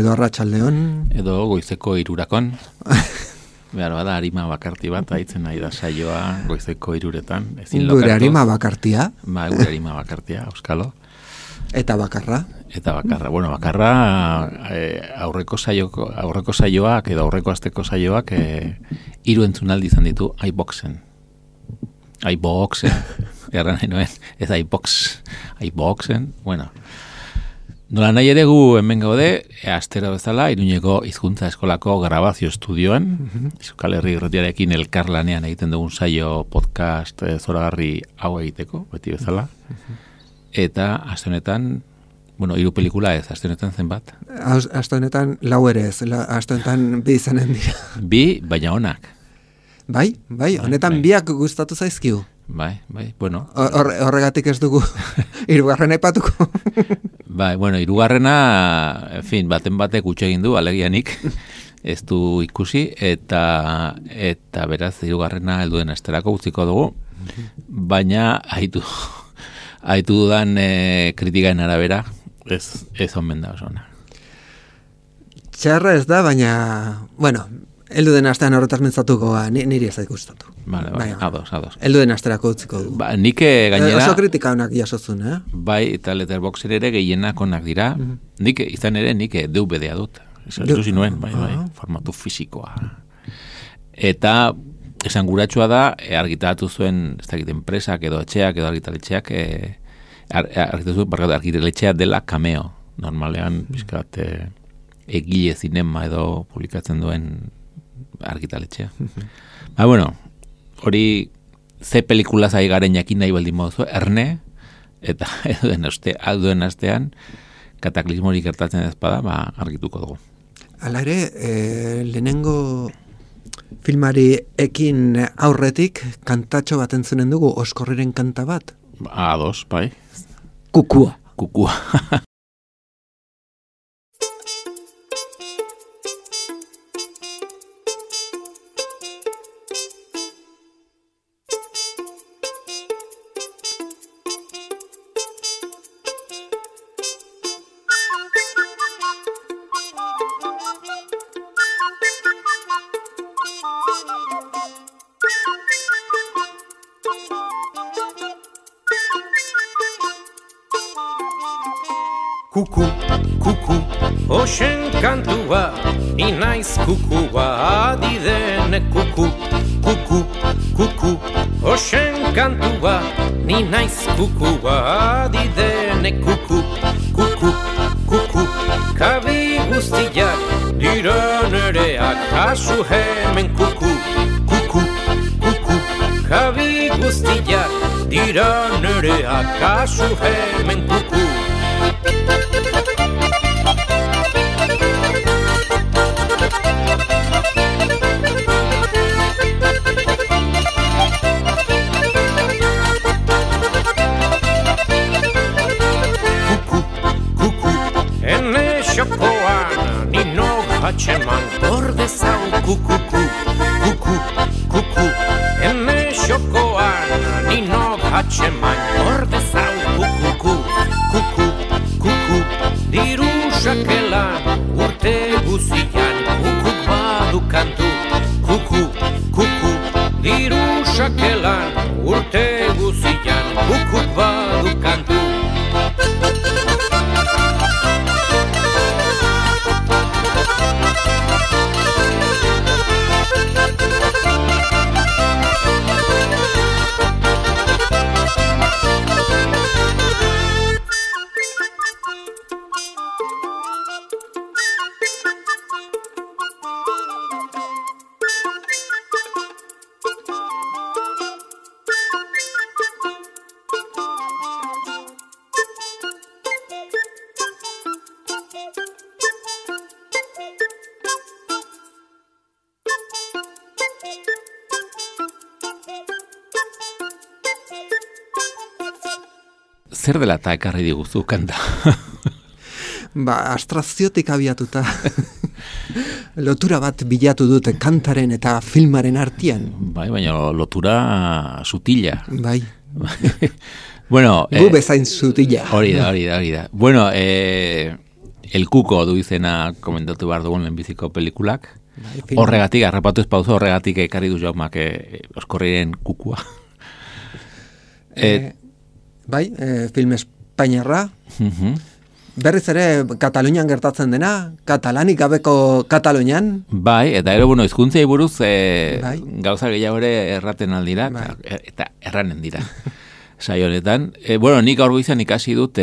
edo arratsaldeon. Edo goizeko 3:00. Behar bada, arima bakarti bat, haitzen nahi da saioa goizeko 3:00. Gure arima bakartia. Gure arima bakartia, euskalo. Eta bakarra. Bueno, bakarra aurreko saioak edo aurreko asteko saioak 3 entzunaldi izan ditu iBoxen. Erran nahi noen, ez iBoxen, bueno. Nola nahi ere gu hemen gaude, astero bezala, Iruñeko hizkuntza eskolako grabazio estudioan, Euskal Herri Irratiarekin elkarlanean egiten dugun saio podcast zoragarri hau egiteko, beti bezala. Eta aste honetan, 3 pelikula ez, aste honetan zenbat? Aste honetan 4 ere ez, aste honetan 2 izanen dira. 2, baina onak. Bai, honetan 2 gustatu zaizkigu. Bai, bueno. Horregatik ez dugu 3. aipatuko. Bai, bueno, 3. En fin, batek utxe egin du, alegianik, ez du ikusi, eta beraz, 3. helduen asterako utziko dugu, baina haitu dudan kritikaen arabera, ez omen da osona. Txarra ez da, baina, bueno, heldu den astean horretaz mintzatuko, niri ez zait gustatu. Bai, ados. Heldu den asterako utziko du. Nik gainera... Oso kritika honak jasozun, Bai, eta Letterboxen ere gehienak onak dira. Nik DVD-a dut. Zuzi nuen, bai, formatu fisikoa. Eta esan guratsua da, argitaratu zuen, ez dakit, enpresak edo etxeak edo argitaletxeak, argitaletxea dela Cameo. Normalean, pizkat, egile zinema edo publikatzen duen argitaletxea. Bueno, hori ze pelikulaz ari garen jakin nahi baldin moduzu, Erne, eta duen astean, kataklismorik gertatzen ezpada, argituko dugu. Hala ere, lehenengo filmari ekin aurretik kantatxo bat entzunen dugu, Oskorriren kanta bat. Ados, bai. Kukua. Kuku, oxen kantua, ni naiz kukua, adidene kuku, oxen kantua, ni naiz kukua, adidene kuku, kabi guztiak, dira nereak, hasu hemen kuku, kabi guztiak, dira nereak, hasu hemen kuku. Xokoan, nino hatxeman, borde zau kuku, ene xokoan, nino hatxeman, borde zau kuku, diru sakelan, urte guzian, kukuk badu kantu, kuku, diru sakelan, urte guzian, kukuk badu kantu. Zer dela eta ekarri diguzu kanta? Astraziotik abiatuta lotura bat bilatu dute kantaren eta filmaren artean. Bai, baina lotura sutila. Bai. Bueno, gu bezain sutila. Hori da. Bueno, El Kuko du izena komentatu behar dugun lehenbiziko pelikulak. Bai, Horregatik, harrapatu espauzu, horregatik ekarri du Jaumak Oskorriren kukua. Bai, film espainiarra. Berriz ere, Katalunian gertatzen dena, katalanik gabeko Katalunian. Bai, eta ero, bueno, hizkuntzei buruz Bai. gauza gehiago ere erraten aldira, Bai. eta erranen dira. Saio honetan. Bueno, nik gaur goizean ikasi dut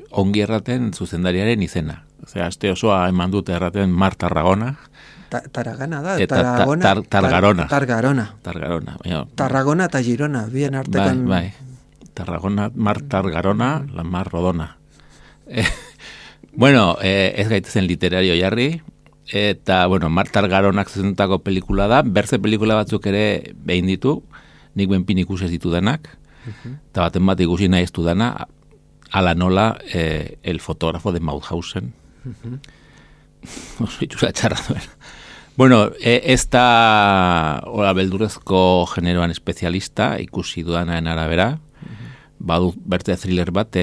ongi erraten zuzendariaren izena. Osea, aste osoa eman dut erraten Mar Tarragona. Tarragona da, Eta Tarragona. Targarona. Tarragona. Baina, Tarragona eta Girona, bien artekan. Bai. Tarragona, Mar Targarona, la Mar Rodona. Bueno, ez gaitezen literario jarri, eta, bueno, Mar Targaronak zuzendutako pelikula da, berze pelikula batzuk ere behin ditu, nik benpin ikusi ez ditu denak, eta baten bat ikusi nahi ez du dana, ala nola el fotógrafo de Mauthausen. Oso itxura txarra duen. Bueno, ez da beldurrezko generoan espezialista, ikusi dudanaren arabera, badu berte thriller bat,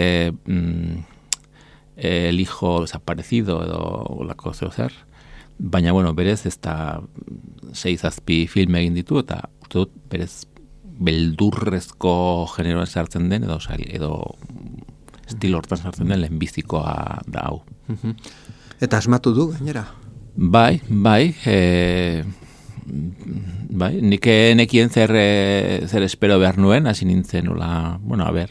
el hijo desaparecido edo olako zeo zer, baina, bueno, berez ez da 6-7 film egin ditu, eta uste dut berez beldurrezko generoan sartzen den, edo estilo hortan sartzen den lehenbizikoa da hau. Eta asmatu du, gainera. Bai, nik nekien zer espero behar nuen, hasi nintzen, bueno, a ber.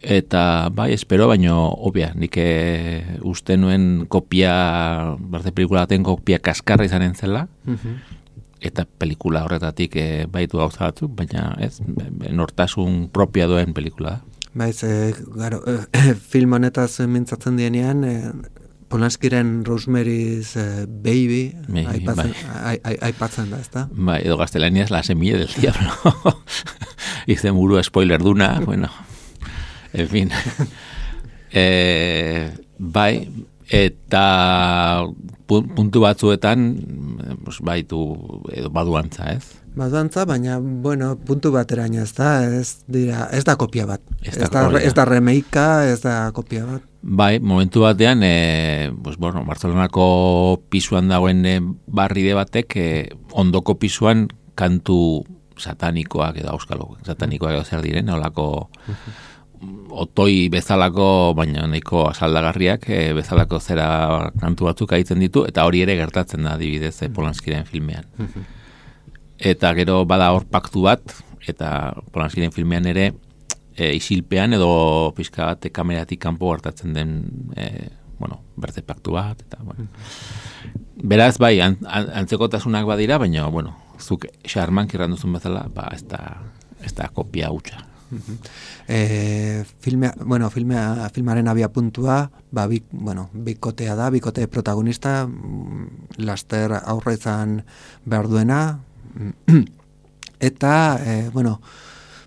Eta, bai, espero, baino, obvia, nik uste nuen kopia, barte pelikula baten kopia kaskarra izanen zela, eta pelikula horretatik baitu gauza batzuk, baina ez, nortasun propia duen pelikula da. Baiz, film honetaz mintzatzen dienean, Polanskiren Rosemary's Baby aipatzen da, ezta? Bai, edo gaztelaniaz La semilla del diablo. Izen buru spoiler duna, bueno, en fin. Bai, eta puntu batzuetan baitu edo baduantza, ez? Baduantza, baina, bueno, puntu bateraino, ez da kopia bat. Ez da remeika, ez da kopia bat. Bai, momentu batean, bueno, Barcelonako pisuan dagoen barride batek, ondoko pisuan kantu satanikoak edo auskalo, satanikoak edo zer diren, olako otoi bezalako, baina nahiko asaldagarriak, bezalako zera kantu batzuk aitzen ditu, eta hori ere gertatzen da adibidez Polanskiren filmean. Eta gero bada hor paktu bat, eta Polanskiren filmean ere, isilpean edo pixka bat kameratik kanpo gertatzen den bueno, berte paktu bat eta bueno. Beraz bai, antzekotasunak badira, baina bueno, zuk xarmank irranduzun bezala, ez da kopia hutsa. Filmaren abia puntua, bikotea da, bikote protagonista, laster aurra izan behar duena, eta,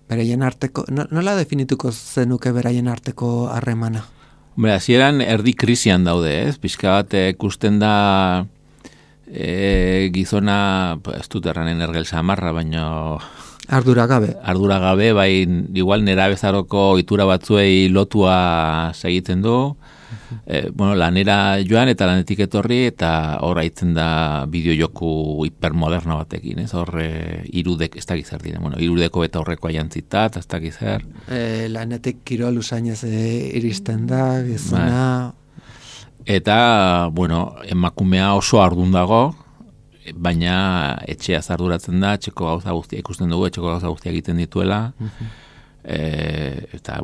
beraien arteko, nola definituko zenuke beraien arteko harremana? Hasieran erdi krisian daude, ez? Pixka bat ikusten da gizona, ez dut erranen ergel samarra, baina Ardura gabe, bai, igual nera bezaroko itura batzuei lotua segitzen du, lanera joan eta lanetik etorri, eta hor haitzen da bideojoku hipermoderno batekin, ez? Hor irudek, ez dakiz zer diren, irudeko eta horreko aiantzitat, ez dakiz zer. Lanetik kirol usainez iristen da, gizona. Eta, emakumea oso ardun dago, baina etxea zarduratzen da, etxeko gauza guztia ikusten dugu, etxeko gauza guztia egiten dituela, eta,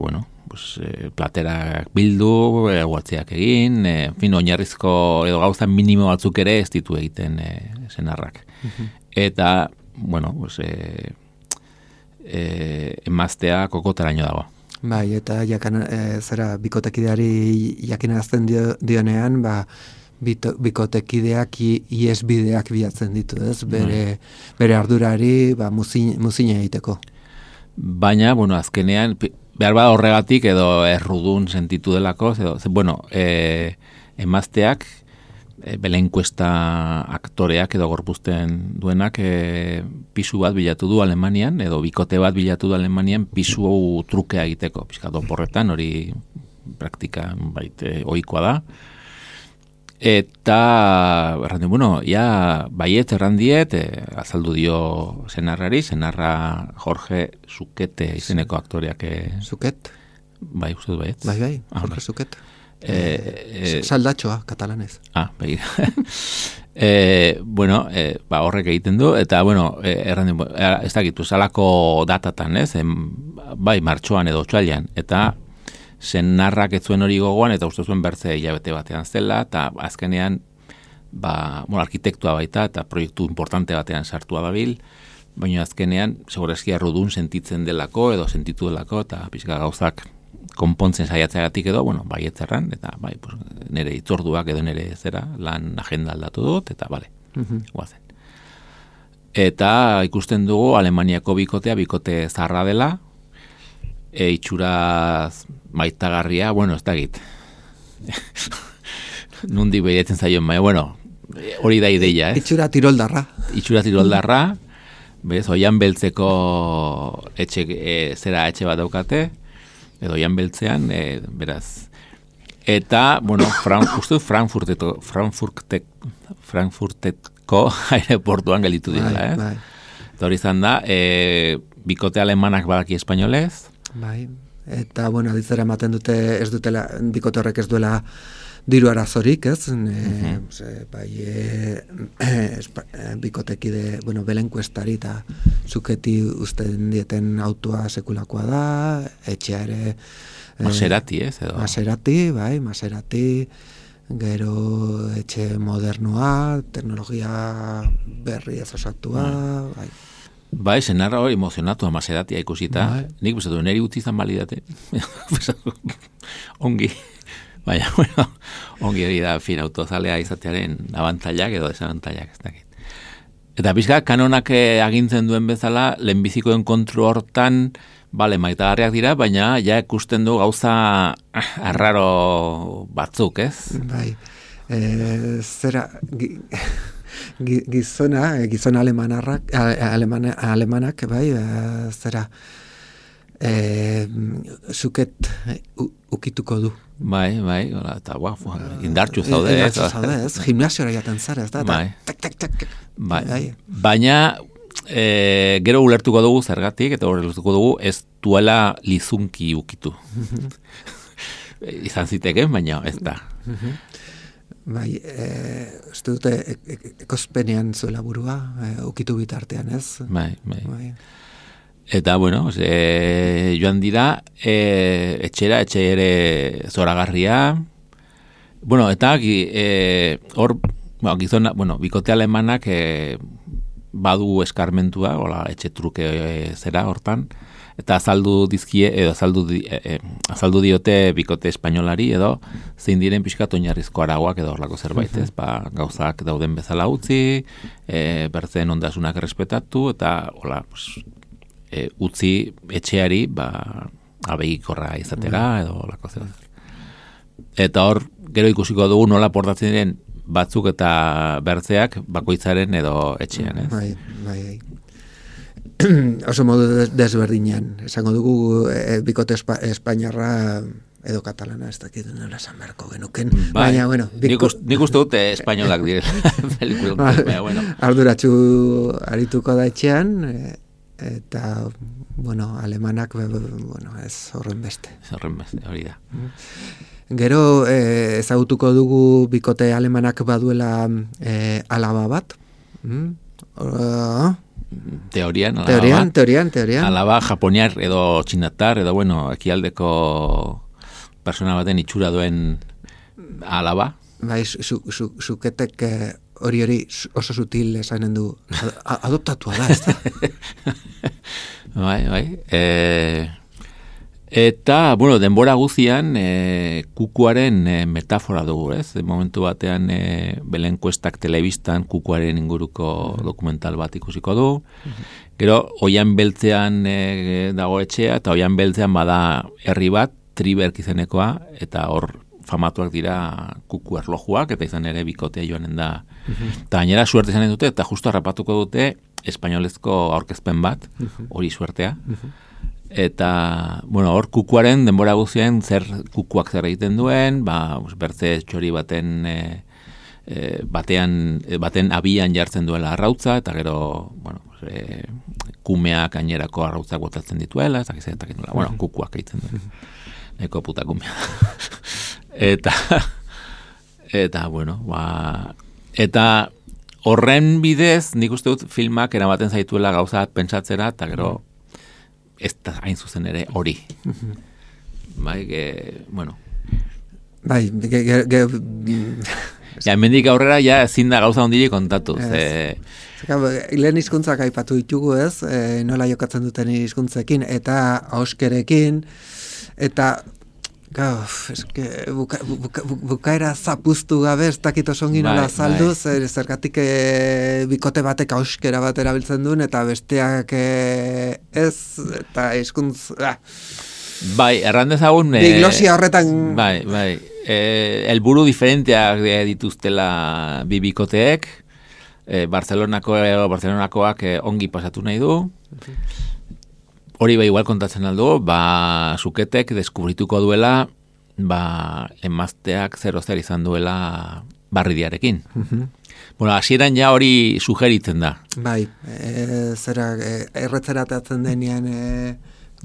platerak bildu, guatziak egin, oinarrizko edo gauza minimo batzuk ere ez ditu egiten senarrak. Eta, emaztea kokotaraino dago. Bai, eta bikotekideari jakinazten dionean, bikotekideak iesbideak bilatzen ditu, ez? Bere ardurari muzina egiteko. Baina, azkenean, behar bada horregatik edo errudun sentitu delako, emazteak, belenkuesta aktoreak edo gorpuzten duenak pisu bat bilatu du Alemanian, edo bikote bat bilatu du Alemanian pisu trukea egiteko, pixka doporretan, hori praktika ohikoa da. Eta, baiet errandiet, azaldu dio senarra Jorge Zuquete izeneko aktoreak. Zuquet? Bai, uste du baiet. Bai, Jorge Zuquet. Saldatxoa, katalanez. Begira. Horrek egiten du, eta, ez dakitu, salako datatan, ez? Bai, martxoan edo otxailean, eta senarrak ez zuen hori gogoan, eta uste zuen bertze hilabete batean zela, eta azkenean, arkitektua baita, eta proiektu importante batean sartua dabil, baina azkenean, segurazki arrudun sentitzen delako, edo sentitu delako, eta pixka gauzak konpontzen saiatzeagatik edo, baietzerran, eta nire itzorduak edo nire zera, lan agenda aldatu dut, eta guazen. Eta ikusten dugu Alemaniako bikote zarra dela, itxuraz maitagarria, ez dakit. Nundik behietzen zaion, hori da ideia, Itxura tiroldarra. Bez, Oian Beltzeko etxe bat daukate, edo Oian Beltzean, beraz. Eta, uste Frankfurteko aireportuan gelditu direla, Bai. Eta hori izan da, bikote alemanak badaki espainolez. Bai, eta, aditzera ematen dute, ez dutela, bikote horrek ez duela diru arazorik, ez? Bikotekide, belenkuestari eta Zuketi usten dieten autoa sekulakoa da, etxea ere... Maserati, ez? Maserati, gero etxe modernoa, teknologia berri ez osatua, bai. Bai, senarra hori emozionatu Maseratia ikusita. Nik bezatu, neri utzi izan balidate. Ongi. Baina, ongi hori da, autozalea izatearen abantailak edo desabantailak, ez dakit. Eta pixka, kanonak agintzen duen bezala, lehenbizikoen kontro hortan, maitagarriak dira, baina ja ikusten du gauza arraro batzuk, ez? Bai, zera... Gizona alemanak, bai, zera, Zuket ukituko du. Bai, eta indartxu zaude, ez? Gimnasiora jaten zara, ez da? Bai. Baina, gero ulertuko dugu zergatik, eta ulertuko dugu ez duela lizunki ukitu. Izan ziteken, baina ez da. Bai, ez dute ekospenean zuela burua, ukitu bitartean, ez? Bai. Eta, joan dira, etxe ere zoragarria. Eta hor, bikote alemanak badu eskarmentua, etxe truke zera hortan, eta azaldu dizkie, edo azaldu diote bikote espainolari, edo zein diren pixkat oinarrizko aragoak edo horlako zerbait, ez? Gauzak dauden bezala utzi, bertzen ondasunak errespetatu, eta utzi etxeari abegikorra izatera, edo horlako zerbait. Eta hor, gero ikusiko dugu nola portatzen diren batzuk eta bertzeak bakoitzaren edo etxean, ez? Bai. Oso modu desberdinean. Esango dugu bikote espainarra edo katalana, ez dakit nola esan beharko genuken. Baina, nik uste dute espainolak direla pelikulun. Arduratsu arituko da etxean, eta, alemanak, ez horren beste. Hori da. Gero, ezagutuko dugu bikote alemanak baduela alaba bat. Teorian. Alaba japoniar edo txinatar, edo ekialdeko persona baten itxura duen alaba. Bai, Zuketek hori oso sutil esanen du, adoptatua da, ez da? Bai. Eta, denbora guzian, kukuaren metafora dugu, ez? Momentu batean, belenkuestak telebistan kukuaren inguruko dokumental bat ikusiko du. Gero, Oian Beltzean dago etxea, eta Oian Beltzean bada herri bat, Triberk izenekoa, eta hor famatuak dira kuku erlojuak, eta izan ere bikotea joanen da. Eta gainera suerte izanen dute, eta justo harrapatuko dute espainolezko aurkezpen bat, hori suertea. Eta, hor kukuaren denbora guzien kukuak zer egiten duen, bertze txori baten baten abian jartzen duela arrautza, eta gero, bueno, kumeak gainerako arrautzak botatzen dituela, eta nola, bueno, kukuak egiten du. Eko puta kumea. Eta, bueno, eta horren bidez, nik uste dut filmak eramaten zaituela gauza pentsatzera, eta gero, ez da hain zuzen ere hori. Bai, bueno. Bai, ja, hemendik aurrera, ja, ezin da gauza ondile kontatu. Lehen hizkuntzak aipatu ditugu ez, nola jokatzen duten hizkuntzekin, eta auskerekin, eta bukaera zapuztu gabe, ez dakit osongi nola azaldu, zergatik bikote batek auskera bat erabiltzen duen, eta besteak ez, eta hizkuntz... Bai, errandezagun... Diglosia horretan... Bai, helburu diferenteak dituztela bi bikoteek, Barcelonakoak ongi pasatu nahi du, hori igual kontatzen aldu, Suketek deskubrituko duela, emazteak zer izan duela barridiarekin. Bueno, hasieran ja hori sugeritzen da. Bai, erretzeratzen denean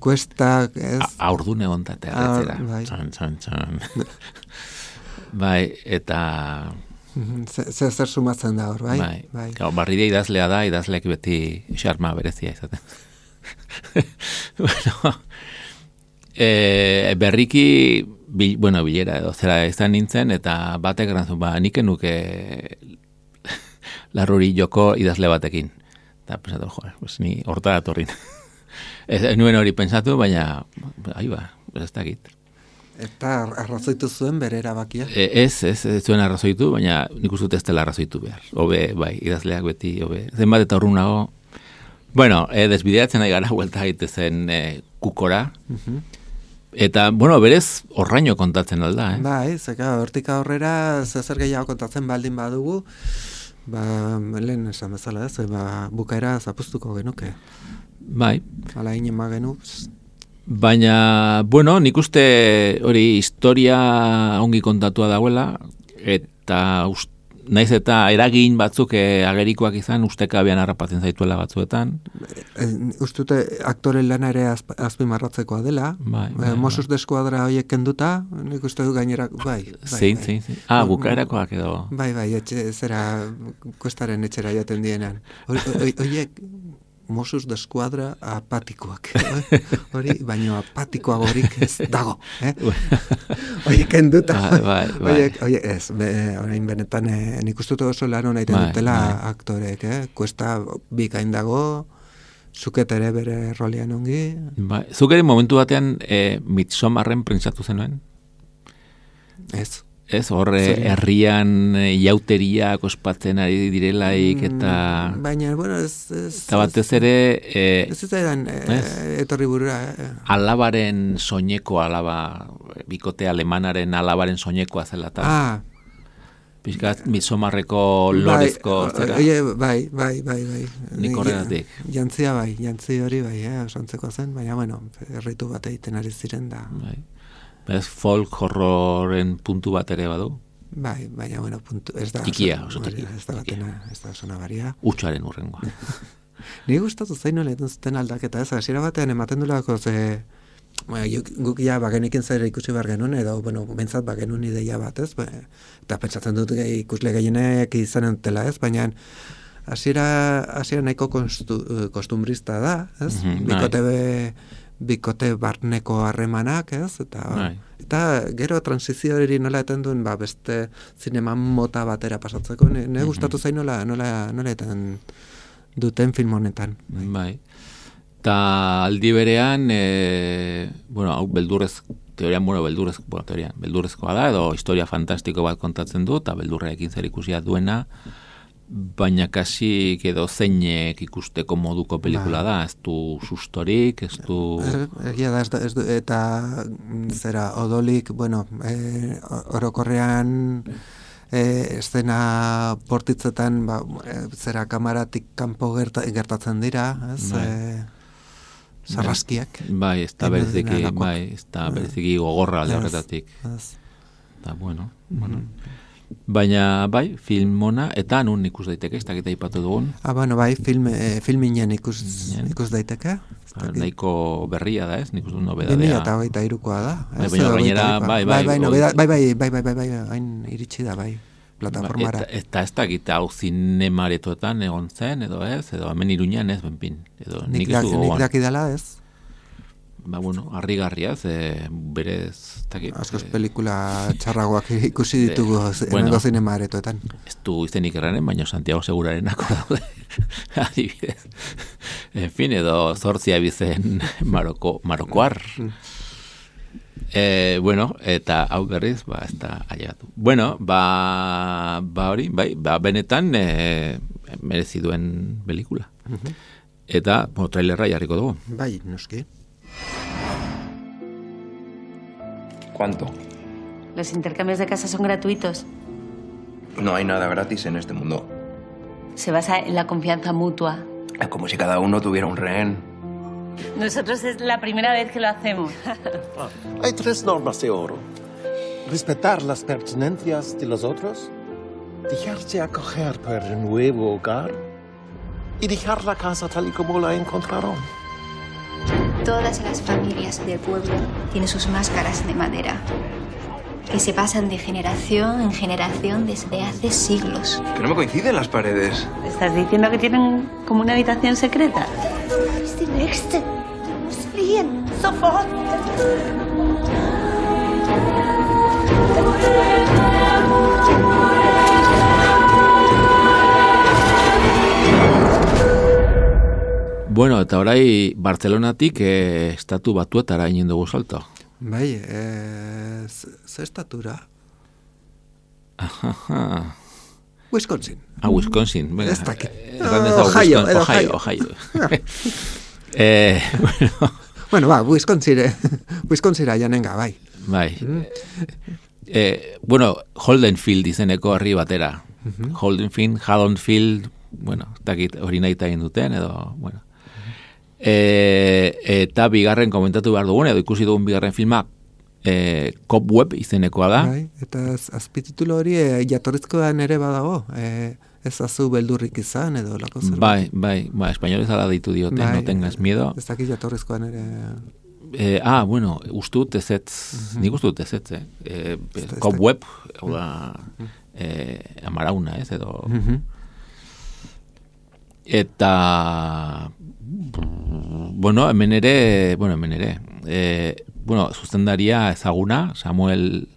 kuestak, ez? Aurdun egontate erretzera. Txan. Bai, eta... Zer sumatzen da hor, bai? Bai. Barridia idazlea da, idazleak beti xarma berezia izaten. Bueno, berriki bilera edo zera izan nintzen, eta batek erantzun, nik nuke larruri joko idazle batekin. Eta pensatu, pues ni horta datorrin. Ez nuen hori pensatu, baina ez dakit. Eta arrazoitu zuen bere erabakia? Ez zuen arrazoitu, baina nik uste dut ez dela arrazoitu behar. Hobe, idazleak beti, zenbat eta urrunago. Bueno, desbideatzen nahi gara, huelta gaitezen kukora. Eta, bueno, berez horraino kontatzen alda, Bai, zeka, hortik aurrera zer gehiago kontatzen baldin badugu, lehen esan bezala ez, bukaera zapuztuko genuke. Bai. Hala inen magenu. Baina, bueno, nik uste hori historia ongi kontatua dagoela, eta naiz eta eragin batzuk agerikoak izan, ustekabean harrapatzen zaituela batzuetan. Ustute aktore lana ere azpimarratzekoa dela. Mossos de Eskuadra horiek kenduta, nik uste du gainerak, bai. Zein. Bukaerakoak edo. Bai, zera kuestaren etxera jaten dienan. Horiek Mossos de Eskuadra apatikoak. Hori, baino apatikoagorik ez dago. Horiek kenduta. Horiek, ez, orain benetan, nik uste dut oso lan hona iten dutela aktorek, kuesta bikain dago, Zuket ere bere rolean ongi. Zuk ere momentu batean Midsommarren prentsatu zenuen? Ez, horre herrian jauteriak ospatzen ari direlaik, eta... Baina, bueno, ez... Eta batez ere... Ez edan etorri burura. Alabaren soineko, bikote alemanaren alabaren soinekoa zela, eta... Pizkat, Midsommarreko lorezko... Bai. Nik horregatik. Jantzi hori bai, osantzeko zen, baina, bueno, erritu bat egiten ari ziren da... Ez folk horroren puntu bat ere badu? Bai, baina, bueno, ez da... Tikia, oso tikia. Ez da zona baria. Utsuaren urrengoa. Ni gustatu zaino leheten zuten aldaketa ez, hasiera batean ematen dulako guk ja bagenikin zer ikusi behar genuen, edo, bueno, bentsat bagenuen ideia bat ez, eta pentsatzen dut ikusle gehienek izanen dutela ez, baina hasiera nahiko kostumbrista da, ez? Bikote barneko harremanak, ez? Eta gero transizio hori nola eten duen, beste zineman mota batera pasatzeko, ne gustatu zain nola eten duten film honetan. Bai. Eta aldi berean, hau beldurrezkoa da, edo historia fantastiko bat kontatzen du, eta beldurrekin zer ikusia duena, baina kasi edo zeinek ikusteko moduko pelikula da, ez du sustorik, ez du... Egia da, eta zera, odolik, orokorrean estena portitzetan, zera, kamaratik kanpo gertatzen dira, ez... Sarraskiak. Bai, ez da bereziki gogorra alde horretatik. Eta, bueno. Baina, bai, film ona, eta nun ikus daiteke, ez dakit aipatu dugun. Bueno, bai, filminen ikus daiteke. Nahiko berria da, ez? Nik uste nobedadea. 2023koa da. Baina gainera, bai, hain iritsi da, bai, plataformara. Eta ez dakit hau zinemaretoetan egon zen, edo ez, edo hemen Iruñan ez, benpin. Nik dakidala ez. Bueno, harrigarria, berez, takit. Askoz pelikula txarragoak ikusi ditugu hemengo zinemaretoetan. Ez du izenik erranen, baina Santiago Segurarenako daude, adibidez. En fin, edo zortzia bizen marokoar. Bueno, eta hau berriz, ez da ailegatu. Bueno, hori, benetan merezi duen pelikula. Eta, trailerra jarriko dugu. Bai, noski. ¿Cuánto? Los intercambios de casa son gratuitos. No hay nada gratis en este mundo. Se basa en la confianza mutua. Es como si cada uno tuviera un rehén. Nosotros es la primera vez que lo hacemos. Hay 3 normas de oro. Respetar las pertenencias de los otros, dejarse acoger por el nuevo hogar y dejar la casa tal y como la encontraron. Todas las familias del pueblo tienen sus máscaras de madera, que se pasan de generación en generación desde hace siglos. Que no me coinciden las paredes. ¿Estás diciendo que tienen como una habitación secreta? Es die nächste. Du musst fliehen. Sofort. Bueno, eta orai Bartzelonatik estatu batuetara inen dugu salto. Bai, ze estatura? Wisconsin. Wisconsin. Ez dakit. Ohio. Bueno, Wisconsira janenga, bai. Bai. Bueno, Holdenfield izeneko herri batera. Haddonfield, bueno, dakit hori nahi egin duten, edo, bueno. Eta bigarren komentatu behar dugun, edo ikusi dugun bigarren filma, Cobweb izenekoa da. Bai, eta azpititulo hori jatorrizkoan ere badago, ez azu beldurrik izan, edo lako zerbait. Bai, espainolez ala ditu diote, no tengas miedo. Ez dakit jatorrizkoan ere... bueno, ustut ezetz, nik ustut ezetz, Cobweb, amarauna, ez, edo... Eta... Bueno, hemen ere, zuzendaria ezaguna, Samuel,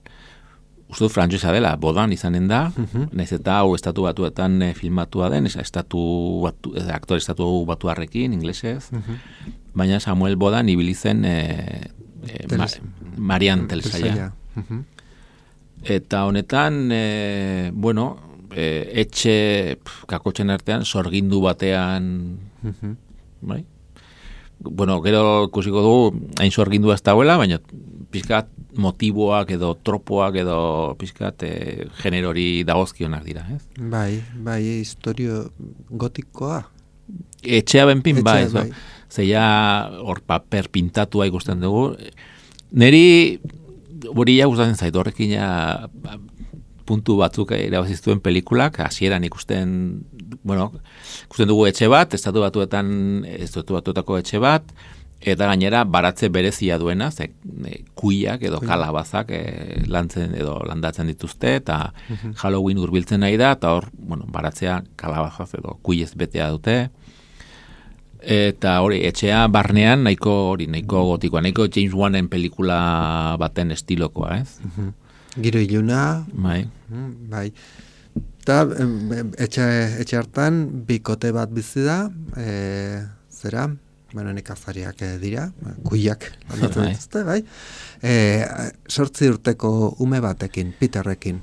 uste frantsesa dela, Bodan izanen da, nahiz eta hau estatu batuetan filmatua den, aktore estatu batuarrekin, inglesez, baina Samuel Bodan ibilizen Marian Telsaia. Eta honetan, etxe kakotxen artean, sorgindu batean, bai? Bueno, gero ikusiko dugu hain sorgindua ez dagoela, baina pizkat motiboak edo tropoak edo pizkat generori dagozkionak dira, ez? Bai, historio gotikoa. Etxea benpin, bai. Zeia hor paper pintatua ikusten dugu. Neri hori gustatzen zait, horrekin puntu batzuk irabaziztuen pelikulak, hasieran ikusten dugu etxe bat, estatu batuetako etxe bat, eta gainera baratze berezia duena, kuiak edo kalabazak lantzen edo landatzen dituzte, eta Halloween hurbiltzen nahi da, eta hor, baratzea kalabazaz edo kuiez betea dute, eta hori, etxea barnean nahiko gotikoa, nahiko James Wanen pelikula baten estilokoa, ez? Giro iluna, bai. Eta etxe hartan bikote bat bizi da, zera, nekazariak dira, kuiak, dituzte, bai. 8 urteko ume batekin, Peterrekin.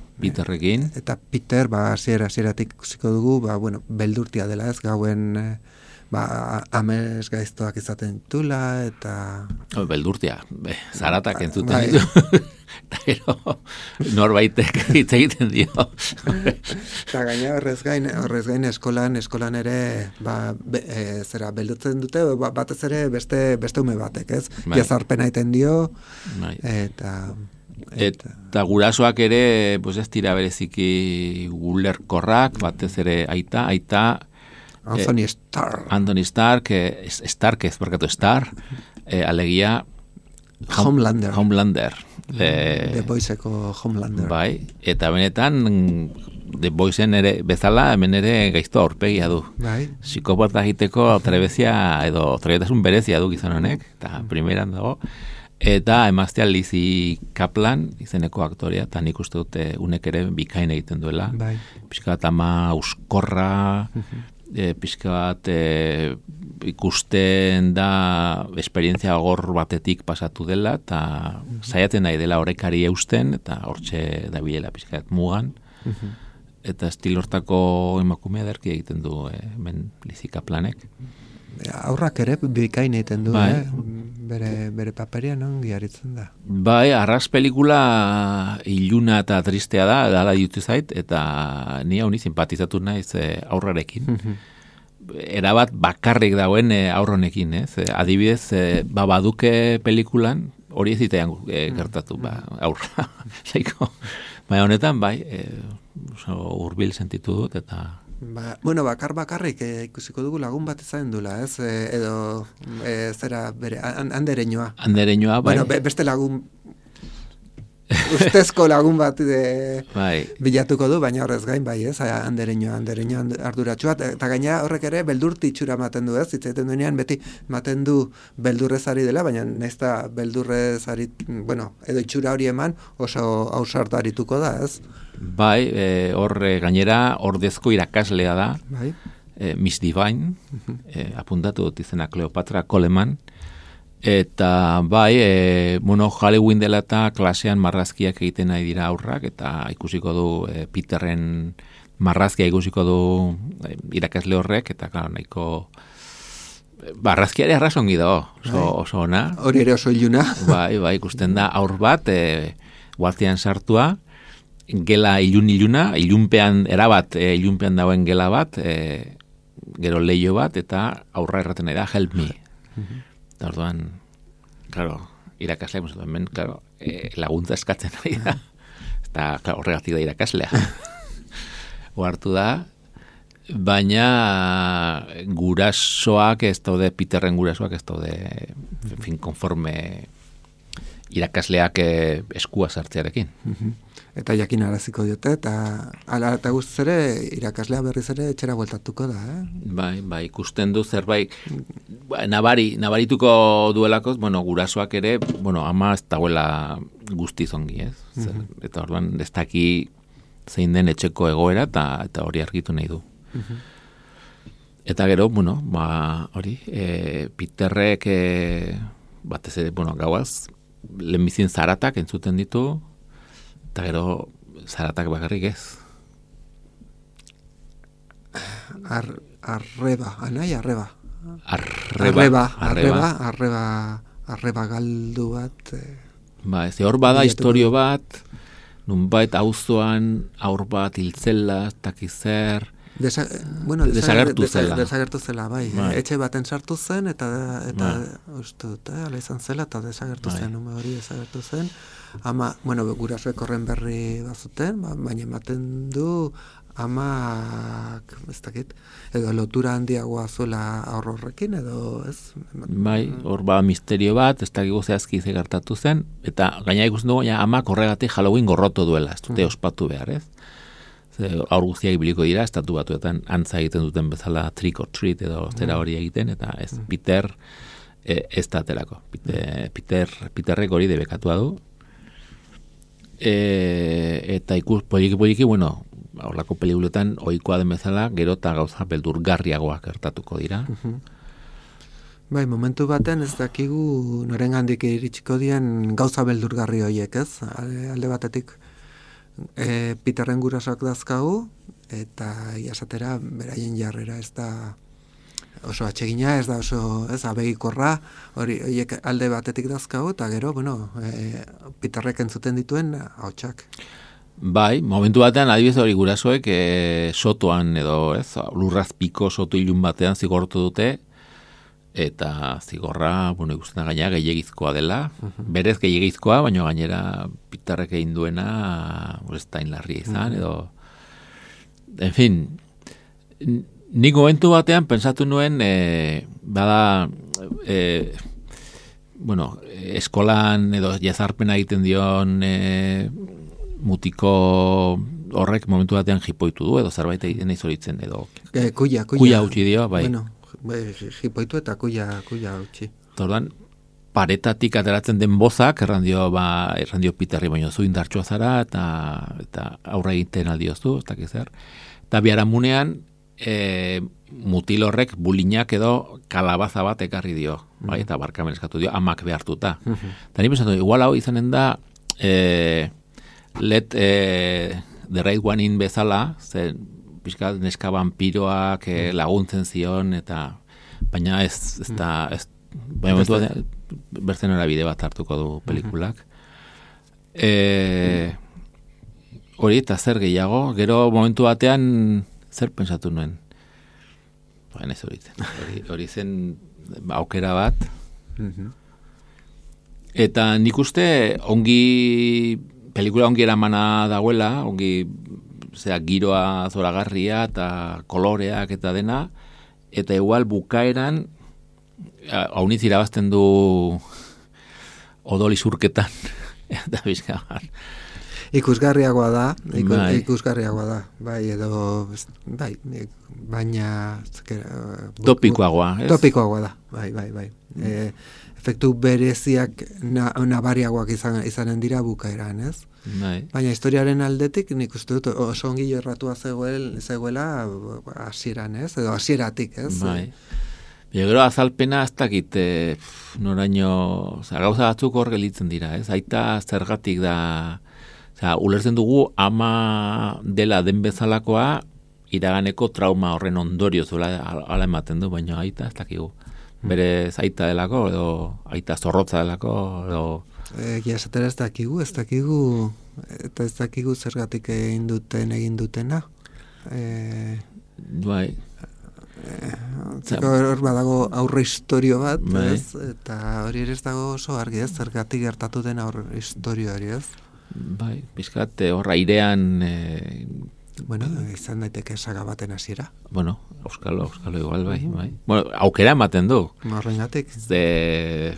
Eta Peter, hasieratik ikusiko dugu, beldurtia dela ez, gauen amez gaiztoak izaten tula, eta... Beldurtia, zaratak entzuten ditu. Eta gero, norbaitek hitz egiten dio. Eta gaina horrez gain eskolan ere, beldurtzen dute, batez ere beste ume batek, ez? Jazarpena egiten dio, eta... Eta gurasoak ere, pues ez dira bereziki ulerkorrak, batez ere aita Anthony Starr. Anthony Stark, alegia Homelander. The Boyseko Homelander. Bai, eta benetan The Boysen ere bezala hemen ere gaizto aurpegia du. Bai. Psikopata egiteko trebezia edo trebetasun berezia du gizon honek, eta primeran dago. Eta emaztea Lizzie Kaplan izeneko aktorea, eta nik uste dute unek ere bikain egiten duela. Bai. Pixka bat ama uskorra, pixka bat ikusten da esperientzia gor batetik pasatu dela, eta saiatzen nahi dela horrekari eusten, eta hortxe dabilela pixka bat mugan. Eta estilortako emakumea derki egiten du hemen Lizzie Kaplanek. Aurrak ere bikain egiten du, bai. Bere paperia non giaritzen da. Bai, arras pelikula iluna eta tristea da, dala ditu zait, eta ni hauni simpatizatu naiz aurrarekin. Erabat bakarrik dagoen aurronekin, ez? Adibidez, baduke pelikulan, hori ez zitean gertatu, aurra, jaiko. Baina honetan, bai, hurbil sentitu dut, eta... Bakarrik ikusiko dugu lagun bat izan dula, ez? Edo, zera, bere, andereñoa. Andereñoa, bai. Bueno, beste lagun, ustezko lagun bat bilatuko du, baina horrez gain, bai, ez? Andereñoa arduratsua, eta gaina horrek ere beldurti itxura maten du, ez? Itzaiten duenean, beti maten du beldurrez ari dela, baina naizta beldurrez ari, edo itxura hori eman oso ausartarituko da, ez? Bai, gainera ordezko irakaslea da, bai. Miss Divine, apuntatu dut izena Cleopatra Coleman, eta bai, Halloween dela eta klasean marrazkiak egiten nahi dira aurrak, eta ikusiko du Peterren marrazkia ikusiko du irakasle horrek, eta claro, nahiko marrazkiari arrazongi dago, oso ona. Hori ere oso iluna. Bai, ikusten da aur bat, guartian sartua, gela iluna, ilunpean ilunpean dagoen gela bat, gero leio bat, eta aurra erraten nahi da, help me. Eta orduan, claro, irakaslea, hemen, claro, laguntza eskatzen nahi da. Eta, claro, horregatik da irakaslea. Oartu da, baina gurasoak ez daude, Peterren gurasoak ez daude, konforme irakasleak eskua sartzearekin. Eta jakin araziko diote, eta guztiz ere, irakaslea berriz ere etxera bueltatuko da, Bai, ikusten du zerbait, nabarituko duelako, gurasoak ere, ama ez dagoela guztiz ongi, ez? Eta orduan, ez daki zein den etxeko egoera, eta hori argitu nahi du. Eta gero, hori, Peterrek, batez ere, gauaz, lehenbizien zaratak entzuten ditu, eta gero zaratak bakarrik ez. Arreba galdu bat. Ze hor bada historio bat, nunbait auzoan aur bat hiltzela, takizer, desagertu zela, bai. Etxe baten sartu zen, eta uste dut, ala izan zela, eta desagertu zen, hori desagertu zen. Ama, gurasoek horren berri bazuten, baina ematen du amak, ez dakit, edo lotura handiagoa zuela horrekin, edo ez? Bai, hor misterio bat, ez dakigu zehazki ze gertatu zen, eta gaina ikusten dugu, amak horregatik Halloween gorroto duela, ez dute ospatu behar, ez? Aur guztiak ibiliko dira, estatu batuetan antza egiten duten bezala trick or treat edo zera hori egiten, eta ez, Peter ez da aterako. Peterrek hori debekatua du. Eta poliki, horlako pelikuletan ohikoa den bezala, gero eta gauza beldurgarriagoak gertatuko dira. Bai, momentu baten ez dakigu norengandik iritsiko dien gauza beldurgarri horiek, ez? Alde batetik Peterren gurasoak dazkagu, eta iasatera beraien jarrera ez da oso atsegina, ez da oso abegikorra, horiek alde batetik dazkagu, eta gero, Peterrek entzuten dituen ahotsak. Bai, momentu batean adibidez hori gurasoek sotoan edo lurrazpiko soto ilun batean zigortu dute, eta zigorra, ikusten da gaina gehiagizkoa dela, berez gehiagizkoa, baina gainera Pitarrek egin duena, ez da inlarria izan, edo, en fin, nik momentu batean pensatu nuen, bada, eskolan edo jazarpena egiten dion mutiko horrek momentu batean jipoitu du, edo zerbait egiten izoritzen, edo kuia utzi dio, bai. Bueno, jipoitu eta kuia utzi. Orduan, paretatik ateratzen den bozak, erran dio Pitarri, baino zu indartsua zara, eta aurra egiten aldiozu, ez dakiz zer. Eta biharamunean, mutil horrek bulinak edo kalabaza bat ekarri dio, bai, eta barkamen eskatu dio, amak behartuta. Eta ni pensatu, igual hau izanen da, let the right one in bezala, zen pixka neska vampiroak laguntzen zion, eta baina ez da, baina bertzen bide bat hartuko du pelikulak. Hori, eta zer gehiago, gero momentu batean zer pensatu nuen? Baina ez hori zen aukera bat. Eta nik uste pelikula ongi eramana dagoela, ongi giroa zoragarria eta koloreak eta dena, eta igual bukaeran hauniz irabazten du odol izurketan eta bizka bat. Ikusgarriagoa da, bai, edo, bai, baina... Topikoagoa, ez? Topikoagoa da, bai. Efektu bereziak nabariagoak izanen dira bukaeran, ez? Bai. Baina historiaren aldetik nik uste dut oso ongi jorratua zegoela hasieran, ez? Edo hasieratik, ez? Bai. Gero azalpena ez dakit noraino, gauza batzuk hor gelitzen dira, ez? Aita zergatik da... ulertzen dugu ama dela den bezalakoa iraganeko trauma horren ondorio zuela ala ematen du, baina aita ez dakigu. Bere aita delako, edo aita zorrotza delako, edo... Esatera ez dakigu, eta ez dakigu zergatik egin dutena. Bai. Hor badago aurre historio bat, ez? Eta hori ere ez dago oso argi, ez? Zergatik gertatu den aurre historio hori, ez? Bai, bizkat, horra airean... izan daiteke saga baten hasiera. Bueno, Euskalo igual, bai. Bueno, aukera ematen du. Horrengatik.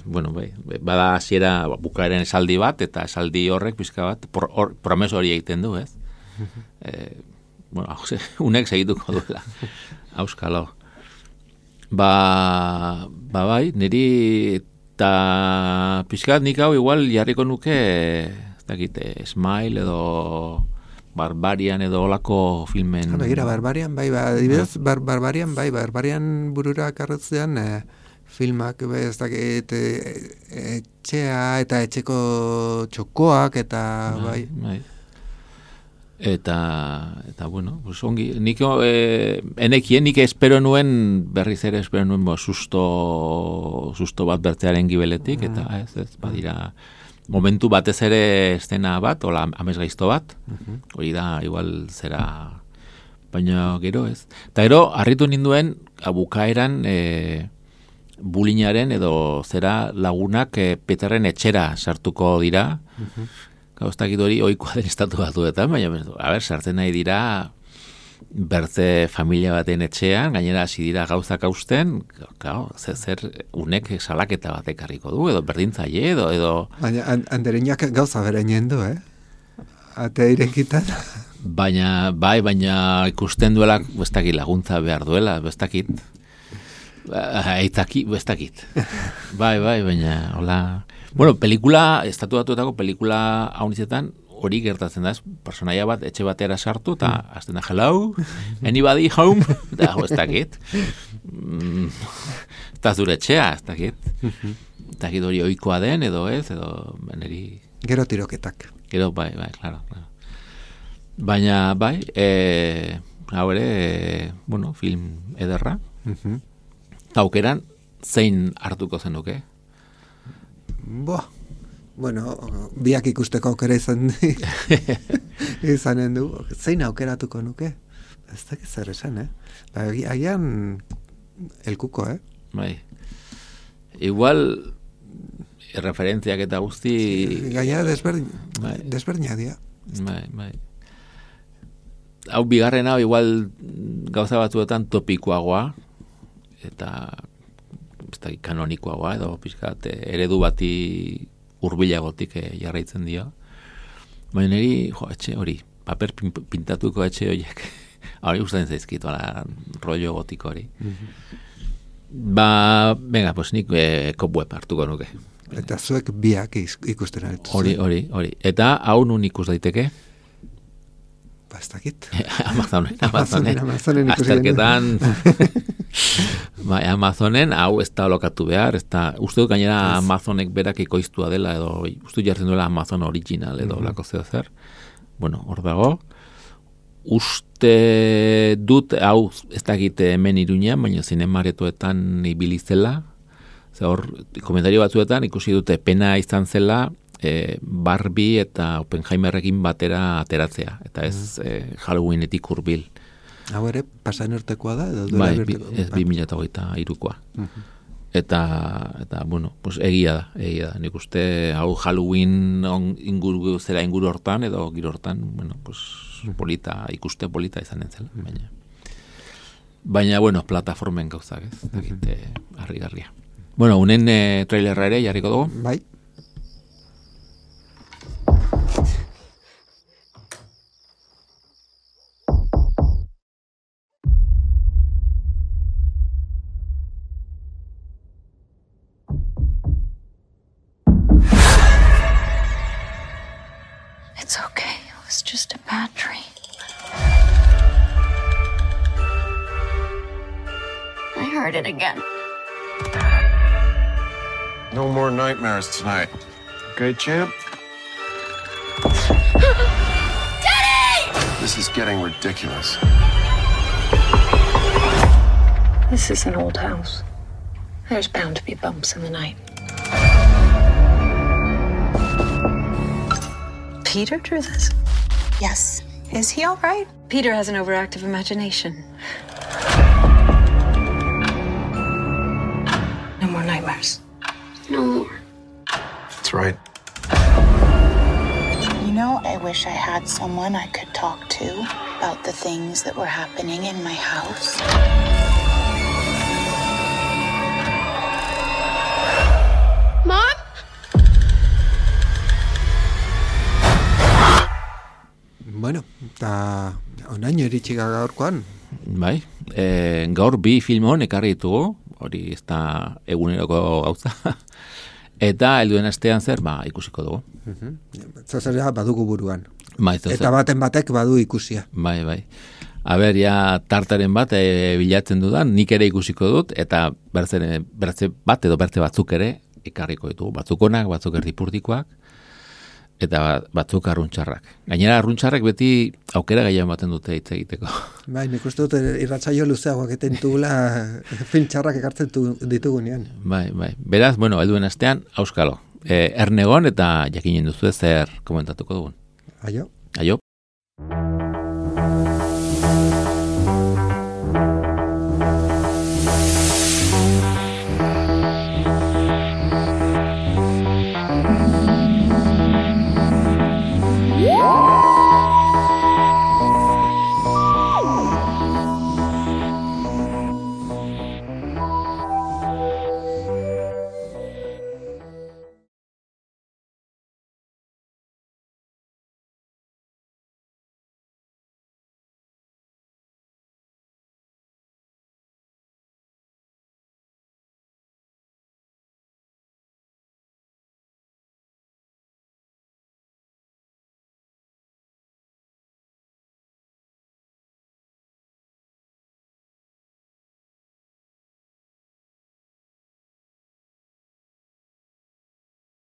Bai, bada hasiera bukaeren esaldi bat, eta esaldi horrek bizka bat, promeso hori egiten du, ez? Unek segituko duela. Euskalo. Bai, niri eta pixkat nik hau igual jarriko nuke... Smile edo Barbarian edo olako filmen... Begira, Barbarian, Barbarian burura karretzean filmak, ez dakit, etxea eta etxeko txokoak, eta bai. Eta bueno, pues ongi, nik nik espero nuen, berriz ere espero nuen, susto bat bertzearen gibeletik, eta ez badira... Momentu batez ere estena bat, ola amesgaizto bat, hori da, igual zera, baina gero ez. Eta gero, harritu ninduen, bukaeran bulinaren edo zera lagunak Peterren etxera sartuko dira. Gauztakit hori oikoa den estatu batuetan, baina, sartzen nahi dira bertze familia baten etxean, gainera hasi dira gauzak hausten, zer unek salaketa bat ekarriko du, edo berdintzaile, edo... Baina, andereñak gauza beren du, Atea irekitan. Baina ikusten duela, bestakit laguntza behar duela, bestakit. Bestakit. Bai, baina, hola... Bueno, estatu batuetako pelikula haunizetan, hori gertatzen da, personaia bat etxe batera sartu, eta azten da, hello, anybody home? Eta, ez dakit. Eta zure etxea, ez dakit. Ez dakit hori oikoa den, edo ez, edo... Gero tiroketak. Gero, bai, claro. Baina, bai, hau ere, bueno, film ederra. Aukeran, zein hartuko zenuke? Bueno, biak ikusteko aukera izanen du. Zein aukeratuko nuke? Ez dakit zer esan, Agian elkuko, Bai. igual referentziak eta guzti... Gainera desberdina dira. Bai. Hau bigarren hau igual gauza batzuetan topikoagoa, eta kanonikoagoa, edo pixkat eredu bati hurbilagotik jarraitzen dio. Baina niri, etxe hori, paper pintatuko etxe horiek, hori gustatzen zaizkit, rollo gotiko hori. Venga, pues nik cobweb hartuko nuke. Eta zuek biak ikusten aritu. Hori. Eta hau nun ikus daiteke? Ez dakit. Amazonen azterketan. Amazonen, hau ez da lokatu behar, uste dut gainera Amazonek berak ekoiztua dela, edo uste dut jartzen duela Amazon original, edo lako zer. Bueno, hor dago. Uste dut, hau ez dakit hemen Iruñean, baina zinemaretoetan ibilizela, hor, komentario batzuetan ikusi dute pena izan zela Barbie eta Oppenheimerrekin batera ateratzea, eta ez Halloweenetik hurbil. Hau ere, pasain urtekoa da? Bai, ez 2023koa. Eta, bueno, pues egia da. Nik uste, hau Halloween zera inguru hortan, edo giro hortan, bueno, pues ikuste polita izanen zela, baina, bueno, plataformen gauzak, ez, dakite, harri-garria. Bueno, unen trailerra ere jarriko dugu? Bai. It's okay. It was just a bad dream. I heard it again. No more nightmares tonight. Okay, champ? Daddy! This is getting ridiculous. This is an old house. There's bound to be bumps in the night. Peter drew this? Yes. Is he all right? Peter has an overactive imagination. No more nightmares. No more. That's right. You know, I wish I had someone I could talk to about the things that were happening in my house. Mom? Bueno, eta onaino eritxiga gaurkoan. Bai, gaur bi filmon ekarri ditugu, hori ez da eguneroko gauza, eta helduen astean zer, ikusiko dugu. Zozera badugu buruan. Bai, eta baten batek badu ikusia. Bai. A ber, ja tartaren bat bilatzen dudan, nik ere ikusiko dut, eta bertze bat edo bertze batzuk ere ekarriko ditugu. Batzuk onak, batzuk erdipurdikoak, eta batzuk arruntxarrak. Gainera arruntxarrak beti aukera gaian baten dute hitz egiteko. Bai, nik uste dut irratsaio luzeagoak eten dugula film txarrak ekartzen ditugunean. Bai. Beraz, bueno, helduen astean, auskalo. Ernegon eta jakinen duzu zer komentatuko dugun. Aio. Aio.